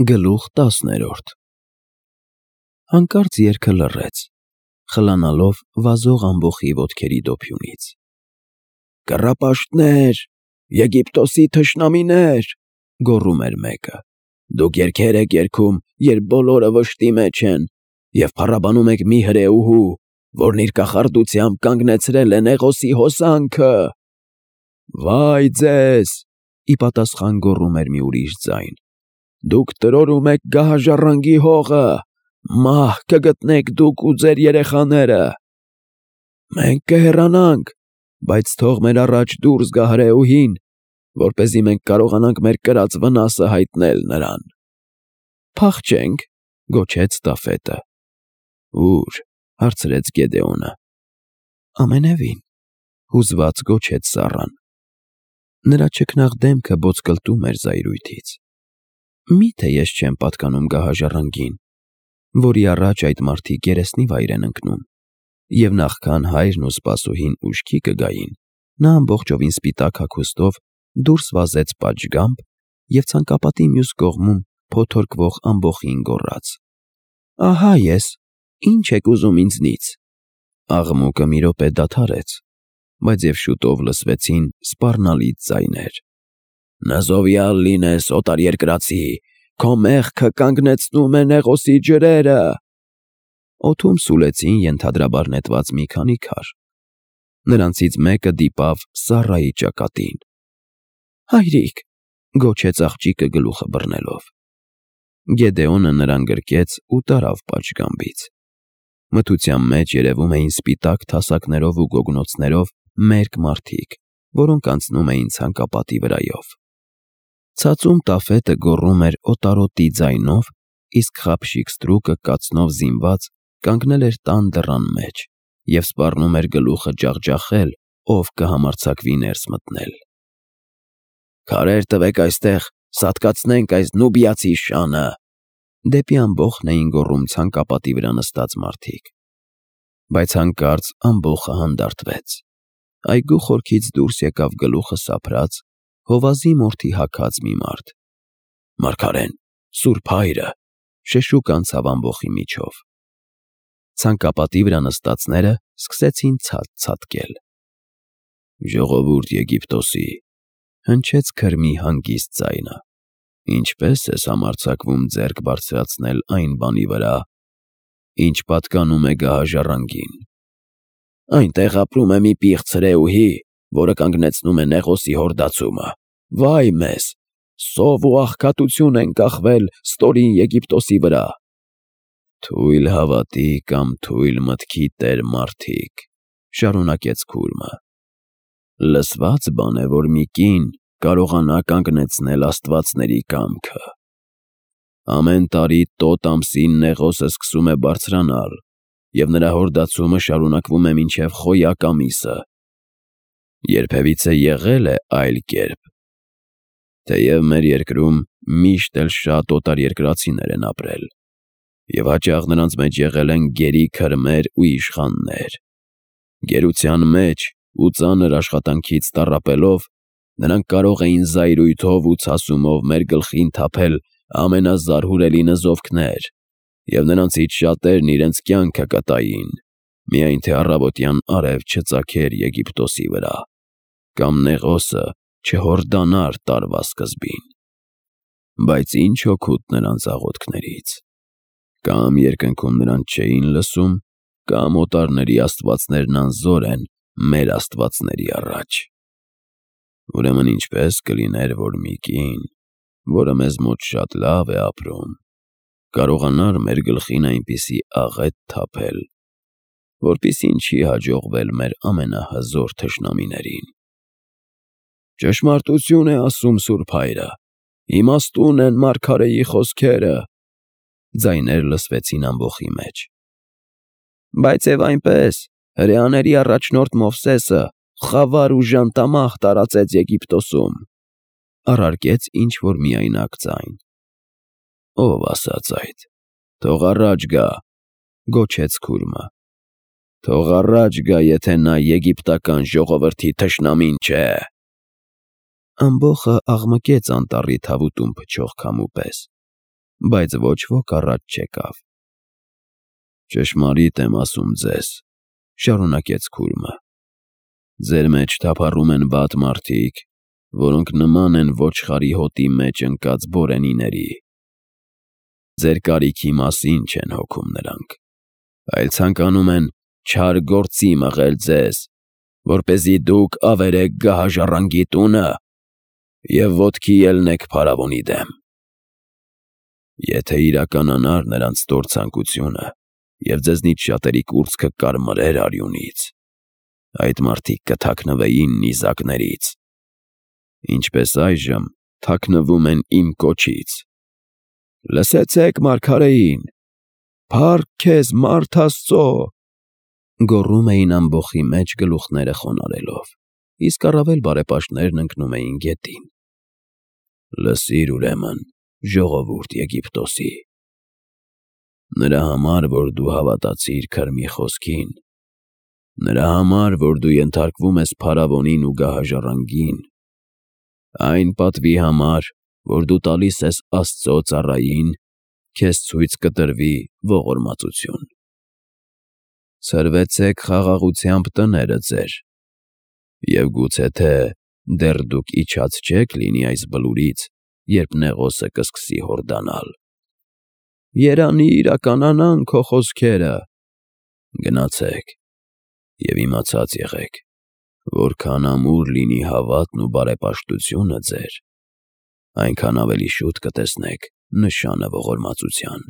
Գլուխ 10 Հանկարծ երգը լռեց, խլանալով վազող ամբոխի ոտքերի դոփյունից։ «Կռապաշտներ, Եգիպտոսի թշնամիներ», գոռում էր մեկը, «դուք երգեր եք երգում, երբ բոլորը վշտի մեջ են, և փառաբանում եք մի հրեուհու, որն իր կախարդությամբ կանգնեցրել է Նեղոսի հոսանքը»։ «Վայ ձեզ», ի պատասխան գոռում էր մի ուրիշ ձայն, «դուք տրորում եք գահաժառանգի հողը, մահ կգտնեք դուք ու ձեր երեխաները»։ «Մենք կհեռանանք, բայց թող մեր առաջ դուրս գա հրեուհին, որպեսզի մենք կարողանանք մեր կրած վնասը հայտնել նրան»։ «Փախչե՞նք», գոչեց Տաֆետը։ «Ո՞ւր», հարցրեց Գեդեոնը։ «Ամենևին», հուզված գոչեց Սառան։ Նրա չքնաղ դեմքը ոսկլտում էր զայրույթից։ «Մի՞թե ես չեմ պատկանում գահաժառանգին, որի առաջ այդ մարդիկ երեսնիվայր են ընկնում, և նախքան հայրն ու սպասուհին ուշքի կգային, նա ամբողջովին սպիտակ հագուստով դուրս վազեց պատշգամբ և ցանկապատի մյուս կողմում փոթորկվող ամբոխին գոռաց. «Ահա ես, ի՞նչ եք ուզում ինձնից»։ Աղմուկը մի րոպե դադարեց, բայց և շուտով լսվեցին սպառնալից ձայներ. «Նզովյալ լինես, օտարերկրացի, քո մեղքը կանգնեցնում է Նեղոսի ջրերը»։ Օդում սուլեցին ենթադրաբար նետված մի քանի քար։ Նրանցից մեկը դիպավ Սառայի ճակատին։ «Հայրիկ», գոչեց աղջիկը գլուխը բռնելով։ Գեդեոնը նրան գրկեց ու տարավ պատշգամբից։ Մթության մեջ երևում էին սպիտակ թասակներով ու գոգնոցներով մերկ մարդիկ, որոնք անցնում էին ցանկապատի վրայով։ Ցածում Տաֆետը գոռում էր օտարոտի ձայնով, իսկ խաբշիկ ստրուկը կացնով զինված կանգնել էր տան դռան մեջ և սպառնում էր գլուխը ջախջախել, ով կհամարձակվի ներս մտնել։ «Քարեր տվեք այստեղ, սատկացնենք այս նուբիացի շանը», դեպի ամբոխն էին գոռում ցանկապատի վրա նստած մարդիկ։ Բայց հանկարծ ամբոխը հանդարտվեց։ Այգու խորքից դուրս եկավ գլուխը սափրած, հովազի մորթի հագած մի մարդ։ «Մարգարեն, Սուրբ Հայրը», շշուկ անցավ ամբոխի միջով։ Ցանկապատի վրա նստածները սկսեցին ցած ցատկել։ «Ժողովուրդ Եգիպտոսի», հնչեց քրմի հանգիստ ձայնը, «ինչպե՞ս ես համարձակվում ձեռք բարձրացնել այն բանի վրա, ինչ պատկանում է գահաժառանգին։ Այնտեղ ապրում է մի պիղծ հրեուհի, որը կանգնեցնում է Նեղոսի հորդացումը։ Վայ մեզ, սով ու աղքատություն են կախվել ստորին Եգիպտոսի վրա»։ «Թույլ հավատի կամ թույլ մտքի տեր մարդիկ», շարունակեց քուրմը, «լսված բան է, որ մի կին կարողանա կանգնեցնել աստվածների կամքը։ Ամեն տարի տոտ ամսին Նեղոսը սկսում է բարձրանալ, և նրա հորդացումը շարունակվում է մինչև Խոյակ ամիսը։ Երբևիցե եղե՞լ է այլ կերպ։ Թեև մեր երկրում միշտ էլ շատ օտարերկրացիներ են ապրել, և հաճախ նրանց մեջ եղել են գերի քրմեր ու իշխաններ։ Գերության մեջ ու ծանր աշխատանքից տառապելով, նրանք կարող էին զայրույթով ու ցասումով մեր գլխին թափել ամենազարհուրելի նզովքներ, և նրանցից շատերն իրենց կյանքը կտային, միայն թե առավոտյան արև չծագեր Եգիպտոսի վրա, կամ Նեղոսը չհորդանար տարվա սկզբին։ Բայց ինչ օգուտ նրանց աղոթքներից։ Կամ երկնքում նրանց չէին լսում, կամ օտարների աստվածներն անզոր են մեր աստվածների առաջ։ Ուրեմն ինչպե՞ս կլիներ, որ մի կին, որը մեզ մոտ շատ լավ է ապրում, կարողանար մեր գլխին այնպիսի աղետ թափել, որպիսին չի հաջողվել մեր ամենահզոր թշնամիներին։ Ճշմարտություն է ասում Սուրբ Հայրը, իմաստուն են մարգարեի խոսքերը», ձայներ լսվեցին ամբոխի մեջ։ «Բայց և այնպես, հրեաների առաջնորդ Մովսեսը խավար ու ժանտամահ տարածեց Եգիպտոսում», առարկեց ինչ-որ միայնակ ձայն։ «Ո՞վ ասաց այդ, թող առաջ գա», գոչեց քուրմը։ «Թող առաջ գա, եթե նա եգիպտական ժողովրդի թշնամին չէ»։ Ամբոխը աղմկեց անտառի թավուտում փչող քամու պես։ բայց ոչ ոք առաջ չեկավ։ «Ճշմարիտ եմ ասում ձեզ», շարունակեց քուրմը, «ձեր մեջ թափառում են վատ մարդիկ, որոնք նման են ոչխարի հոտի մեջ ընկած բորենիների։ Ձեր կարիքի մասին չեն հոգում նրանք, այլ ցանկանում են չար գործի մղել ձեզ, որպեսզի դուք ավերեք գահաժառանգի տունը և ոտքի ելնեք փարավոնի դեմ։ Եթե իրականանար նրանց ստոր ցանկությունը և ձեզնից շատերի կուրծքը կարմրեր արյունից, այդ մարդիկ կթաքնվեին նիզակներից, ինչպես այժմ թաքնվում են իմ կոչից։ Լսեցեք մարգարեին. «Փառք քեզ, մարդ Աստծո», գոռում էին ամբոխի մեջ գլուխները խոնարհելով, իսկ առավել բարեպաշտներն ընկնում էին գետին։ Լսիր ուրեմն, ժողովուրդ Եգիպտոսի. նրա համար, որ դու հավատացիր քրմի խոսքին, նրա համար, որ դու ենթարկվում ես փարավոնին ու գահաժառանգին, այն պատվի համար, որ դու տալիս ես Աստծո ծառային, քեզ ցույց կտրվի ողորմածություն։ Ցրվեցեք խաղաղությամբ տները ձեր, և գուցե թե դեռ դուք իջած չեք լինի այս բլուրից, երբ նեղոսը կսկսի հորդանալ։ Երանի իրականանան քո խոսքերը։ Գնացեք և իմացած եղեք, որքան ամուր լինի հավատն ու բարեպաշտությունը ձեր, այնքան ավելի շուտ կտեսնեք նշանը ողորմածության։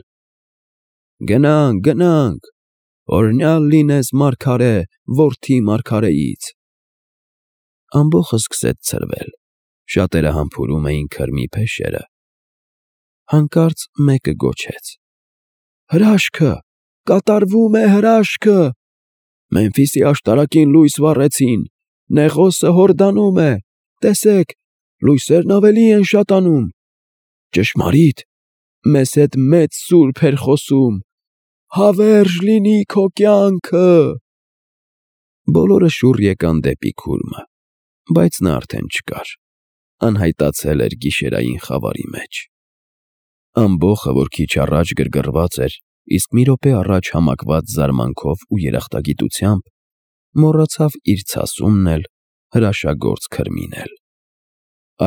Գնանք, օրհնյալ լինես մարգարե, որդի մարգարեից։ Ամբոխը սկսեց ցրվել, շատերը համբուրում էին քրմի փեշերը։ Հանկարծ մեկը գոչեց. «Հրաշքը, կատարվում է հրաշքը, Մեմֆիսի աշտարակին լույս վառեցին, նեղոսը հորդանում է, տեսեք, լույսերն ավելի են շատանում։ Ճշմարիտ, մեզ հետ մեծ սուրբ էր խոսում, հավերժ լինի քո կյանքը»։ Բոլորը շուռ եկան դեպի քուրմը, բայց նա արդեն չկար, անհայտացել էր գիշերային խավարի մեջ։ Ամբոխը, որ քիչ առաջ գրգռված էր, իսկ մի րոպե առաջ համակված զարմանքով ու երախտագիտությամբ, մոռացավ իր ցասումն էլ, հրաշագործ քրմին էլ։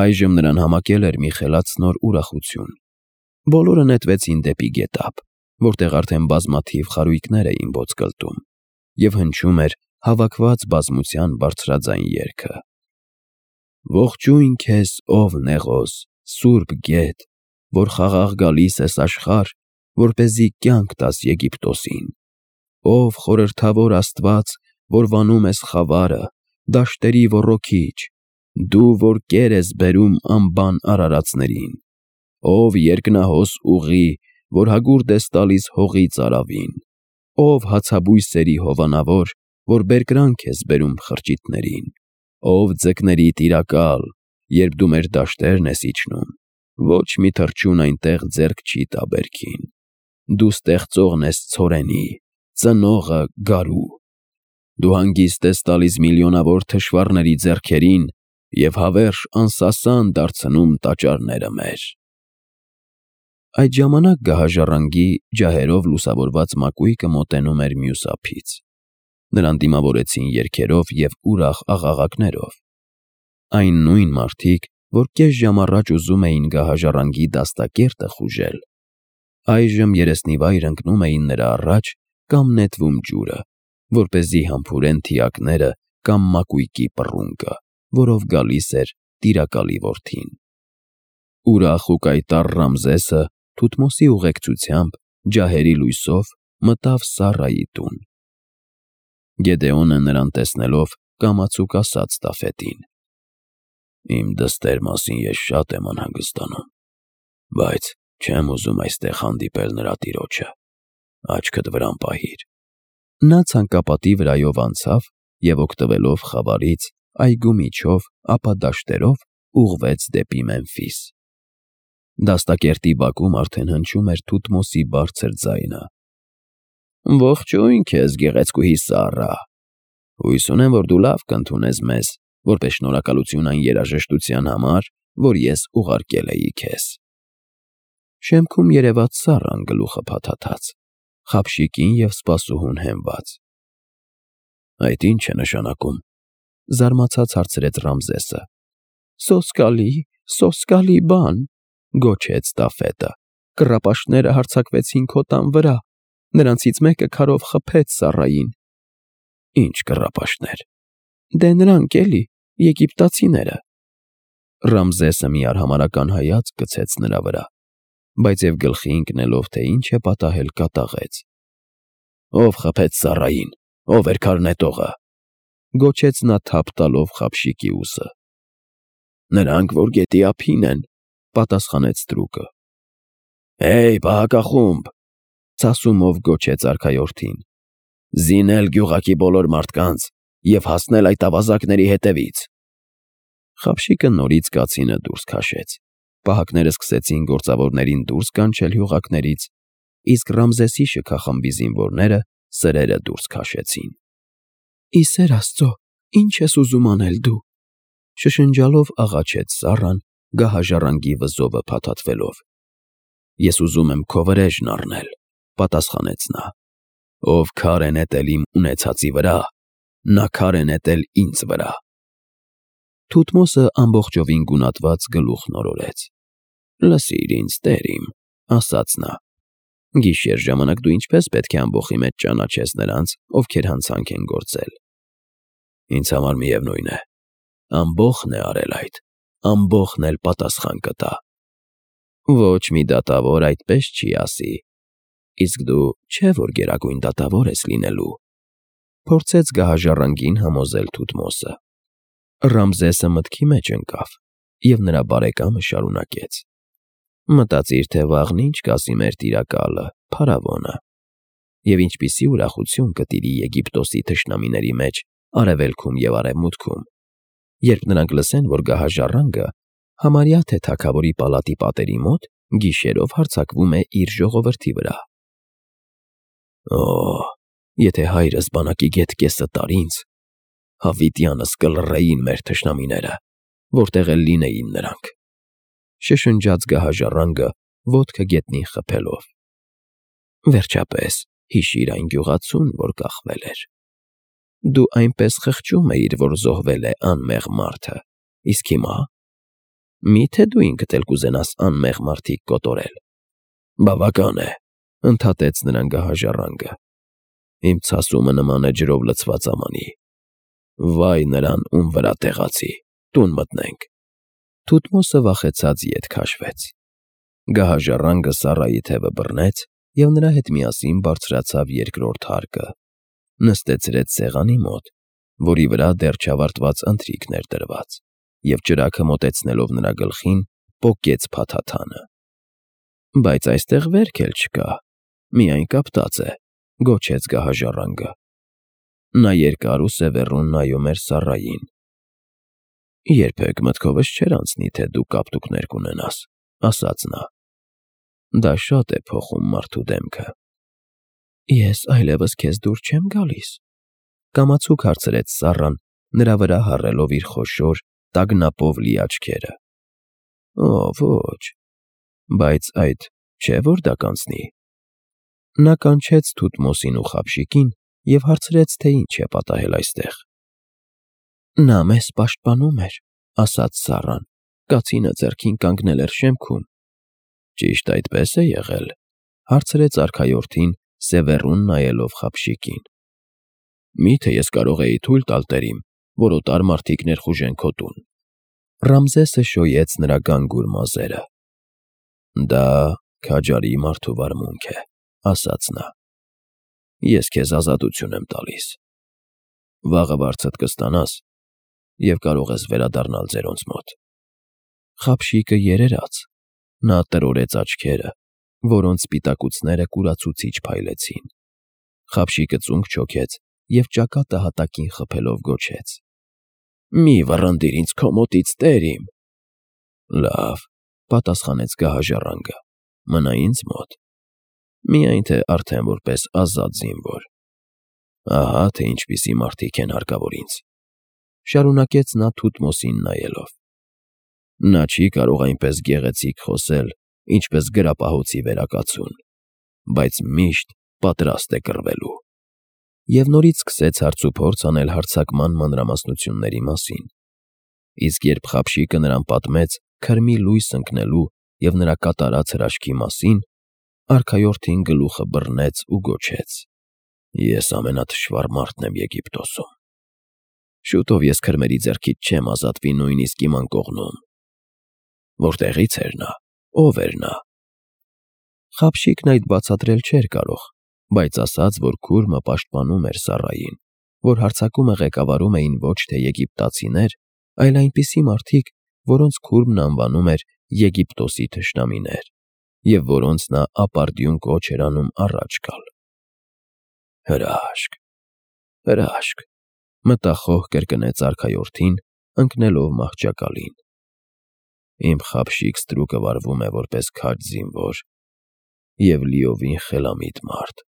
Այժմ նրան համակել էր մի խելացնոր ուրախություն։ Բոլորը նետվեցին դեպի գետափ, որտեղ արդեն բազմաթիվ խարույկներ էին ոսկլտում, և հնչում էր հավաքված բազմության բարձրաձայն երգը. Ողջույն քեզ, ով նեղոս, սուրբ գետ, որ խաղաղ գալիս ես աշխարհ, որպեսզի կյանք տաս Եգիպտոսին, ով խորհրդավոր Աստված, որ վանում ես խավարը, դաշտերի ոռոգիչ, դու, որ կեր ես բերում անբան արարածներին, ով երկնահոս ուղի, որ հագուրդ ես տալիս հողից արավին, ով հացաբույսերի հովանավոր, որ բերկրանք ես բերում խրճիթներին, ով ձկների տիրակալ, երբ դու մեր դաշտերն ես իջնում, ոչ մի թռչուն այնտեղ ձեռք չի տա բերքին, դու ստեղծողն ես ցորենի, ծնողը գարու, դու հանգիստ ես տալիս միլիոնավոր թշվառների ձեռքերին և հավերժ անսասան դարձնում տաճարները մեր։ Այդ ժամանակ գահաժառանգի ջահերով լուսավորված մակույկը մոտենում էր մյուս ափից։ Նրան դիմավորեցին երգերով և ուրախ աղաղակներով։ Այն նույն մարդիկ, որ կես ժամ առաջ ուզում էին գահաժառանգի դաստակերտը խուժել, այժմ երեսնիվայր ընկնում էին նրա առաջ կամ նետվում ջուրը, որպեսզի համբուրեն թիակները կամ մակույկի պռունգը, որով գալիս էր տիրակալի որդին։ Ուրախ ու կայտառ Ռամզեսը Թութմոսի ուղեկցությամբ ջահերի լույսով մտավ Սառայի տուն։ Գեդեոնը նրան տեսնելով կամացուկ ասաց Տաֆետին. Իմ դստեր մասին ես շատ եմ անհանգստանում, բայց չեմ ուզում այստեղ հանդիպել նրա տիրոջը, աչքդ վրան պահիր։ Նա ցանկապատի վրայով անցավ և օգտվելով խավարից, այգու միջով, ապա դաշտերով ուղղվեց դեպի Մեմֆիս։ Դաստակերտի բակում արդեն հնչում էր Թութմոսի բարձր ձայնը. Ողջույն քեզ, գեղեցկուհի Սառա, հույս ունեմ, որ դու լավ կընդունես մեզ, որպես շնորհակալություն այն երաժշտության համար, որ ես ուղարկել էի քեզ։ Շեմքում երևաց Սառան գլուխը փաթաթած, խաբշիկին և սպասուհուն հենված։ Այդ ի՞նչ է նշանակում, զարմացած հարցրեց Ռամզեսը։ Սոսկալի բան, գոչեց Տաֆետը։ Կռապաշտները հարձակվեցին քո տան վրա, նրանցից մեկը քարով խփեց Սառային։ Ինչ կռապաշտներ։ Դե նրանք էլի, եգիպտացիները։ Ռամզեսը մի արհամարհական հայացք գցեց նրա վրա, բայց և գլխի ընկնելով, թե ինչ է պատահել, կատաղեց։ Ո՞վ խփեց Սառային, ով էր քարնետողը, գոչեց նա թափ տալով խաբշիկի ուսը։ Նրանք, որ գետի ափին են, պատասխանեց Ստրուկը։ Հեյ, պահակախումբ, ցասումով գոչեց արքայորդին։ Զինել գյուղակի բոլոր մարդկանց և հասնել այդ ավազակների հետևից։ Խաբշիկը նորից կացինը դուրս քաշեց։ Պահակները սկսեցին գործավորներին դուրս կանչել հյուղակներից, իսկ Ռամզեսի շքախմբի զինվորները սրերը դուրս քաշեցին։ Ի սեր Աստծո, ի՞նչ ես ուզում անել դու, շշնջալով աղաչեց Սառան, գահաժառանգի վզովը փաթաթվելով։ Ես ուզում եմ քո վրեժն առնել, պատասխանեց նա։ Ով քար է նետել իմ ունեցածի վրա, նա քար է նետել ինձ վրա։ Թութմոսը ամբողջովին գունատված գլուխն օրորեց։ Լսիր ինձ, տեր իմ, ասաց նա։ Գիշեր ժամանակ դու ինչպես պետք է ամբոխի մեջ ճանաչես նրանց, ովքեր հանցանք են գործել։ Ինձ համար միևնույն է, ամբոխն է արել այդ, ամբոխն էլ պատասխան կտա։ Ոչ մի դատավոր այդպես չի ասի։ Իսկ դու չէ՞ որ գերագույն դատավոր ես լինելու, փորձեց գահաժառանգին համոզել Թութմոսը։ Ռամզեսը մտքի մեջ ընկավ, և նրա բարեկամը շարունակեց. Մտածիր, թե վաղն ինչ կասի մեր տիրակալը, փարավոնը, և ինչպիսի ուրախություն կտիրի Եգիպտոսի թշնամիների մեջ արևելքում և արևմուտքում, երբ նրանք լսեն, որ գահաժառանգը համարյա թե թագավորի պալատի պատերի մոտ գիշերով հարձակվում է իր ժողովրդի վրա։ Եթե հայրս բանակի գետ կեսը տար ինձ, հավիտյանս կլռեին մեր թշնամիները, որտեղ էլ լինեին նրանք, շշնջաց գահաժառանգը ոտքը գետնին խփելով։ Վերջապես, հիշիր այն գյուղացուն, որ կախվել էր։ Դու այնպես խղճում էիր, որ զոհվել է անմեղ մարդը, իսկ հիմա… Միթե դու ինքդ էլ կուզենաս անմեղ մարդիկ կոտորել։ Բավական է, ընդհատեց նրան գահաժառանգը։ Իմ ցասումը նման է ջրով լցված ամանի։ Վայ նրան, ում վրա տեղացի, տուն մտնենք։ Թութմոսը վախեցած ետ քաշվեց։ Գահաժառանգը Սառայի թևը բռնեց և նրա հետ միասին բարձրացավ երկրորդ հարկը, նստեցրեց սեղանի մոտ, որի վրա դեռ չավարտված ընթրիքն էր դրված, և ճրագը մոտեցնելով նրա գլխին, պոկեց փաթաթանը։ Բայց այստեղ վերք էլ չկա, միայն կապտած է, գոչեց գահաժառանգը։ Նա երկար ու սևեռուն նայում էր Սառային։ Երբեք մտքովս չէր անցնի, թե դու կապտուկներ կունենաս, ասաց նա։ Դա շատ է փոխում մարդու դեմքը։ Ես այլևս քեզ դուր չեմ գալիս, կամացուկ հարցրեց Սառան, նրա վրա հառելով իր խոշոր, տագնապով լի աչքերը։ Ոչ, բայց այդ չէ՞ որ դա կանցնի։ Նա կանչեց Թութմոսին ու խաբշիկին և հարցրեց, թե ինչ է պատահել այստեղ։ Նա մեզ պաշտպանում էր, ասաց Սառան, կացինը ձեռքին կանգնել էր շեմքում։ Ճիշտ այդպես է եղել, հարցրեց արքայորդին, սևեռուն նայելով խաբշիկին։ Միթե ես կարող էի թույլ տալ տերիմ, որ օտար մարդիկ ներխուժեն քո տուն։ Ռամզեսը շոյեց նրա գանգուր մազերը։ Դա քաջարի մարդու վարմունք է, ասաց նա։ Ես քեզ ազատություն եմ տալիս։ Վաղը վարձդ կստանաս և կարող ես վերադառնալ ձերոնց մոտ։ Խաբշիկը երերաց, նա տրորեց աչքերը, որոնց սպիտակուցները կուրացուցիչ փայլեցին։ Խաբշիկը ծունկ չոքեց և ճակատը հատակին խփելով գոչեց. Մի վռնդիր ինձ քո մոտից, տեր իմ։ Լավ, պատասխանեց գահաժառանգը, մնա ինձ մոտ։ Միայն թե արդեն որպես ազատ զինվոր։ Ահա թե ինչպիսի մարդիկ են հարկավոր ինձ, շարունակեց նա Թութմոսին նայելով։ Նա չի կարող այնպես գեղեցիկ խոսել, ինչպես գրապահոցի վերակացուն, բայց միշտ պատրաստ է կռվելու։ Եվ նորից սկսեց հարցուփորձ անել հարձակման մանրամասնությունների մասին, իսկ երբ Խաբշիկը նրան պատմեց քրմի լույս ընկնելու և նրա կատարած հրաշքի մասին, արքայորդին գլուխը բռնեց ու գոչեց. «Ես ամենաթշվառ մարդն եմ Եգիպտոսում։ Շուտով ես քրմերի ձեռքից չեմ ազատվի նույնիսկ իմ անկողնում»։ Որտեղի՞ց էր նա, ով էր նա։ Խաբշիկն այդ բացատրել չէր կարող, բայց ասաց, որ քուրմը պաշտպանում էր Սառային, որ հարձակումը ղեկավարում էին ոչ թե եգիպտացիներ, այլ այնպիսի մարդիկ, որոնց քուրմն անվանում էր Եգիպտոսի թշնամիներ, և որոնց նա ապարդյուն կոչ էր անում առաջ գալ։ «Հրաշք, հրաշք», մտախոհ կրկնեց արքայորդին, ընկնելով մահճակալին։ Իմ Խաբշիկ ստրուկը վարվում է որպես քաջ զինվոր և լիովին խելամիտ մարդ։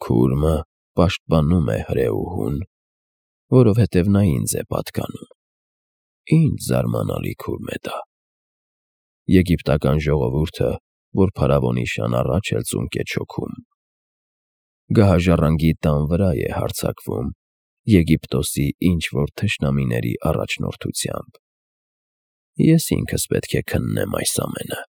Քուրմը պաշտպանում է հրեուհուն, որովհետև նա ինձ է պատկանում։ Ինչ զարմանալի քուրմ է դա։ Եգիպտական ժողովուրդը, որ փարավոնի շան առաջ էլ ծունկ է չոքում, գահաժառանգի տան վրա է հարձակվում Եգիպտոսի ինչ-որ թշնամիների առաջնորդությամբ։ Ես ինքս պետք է քննեմ այս ամենը։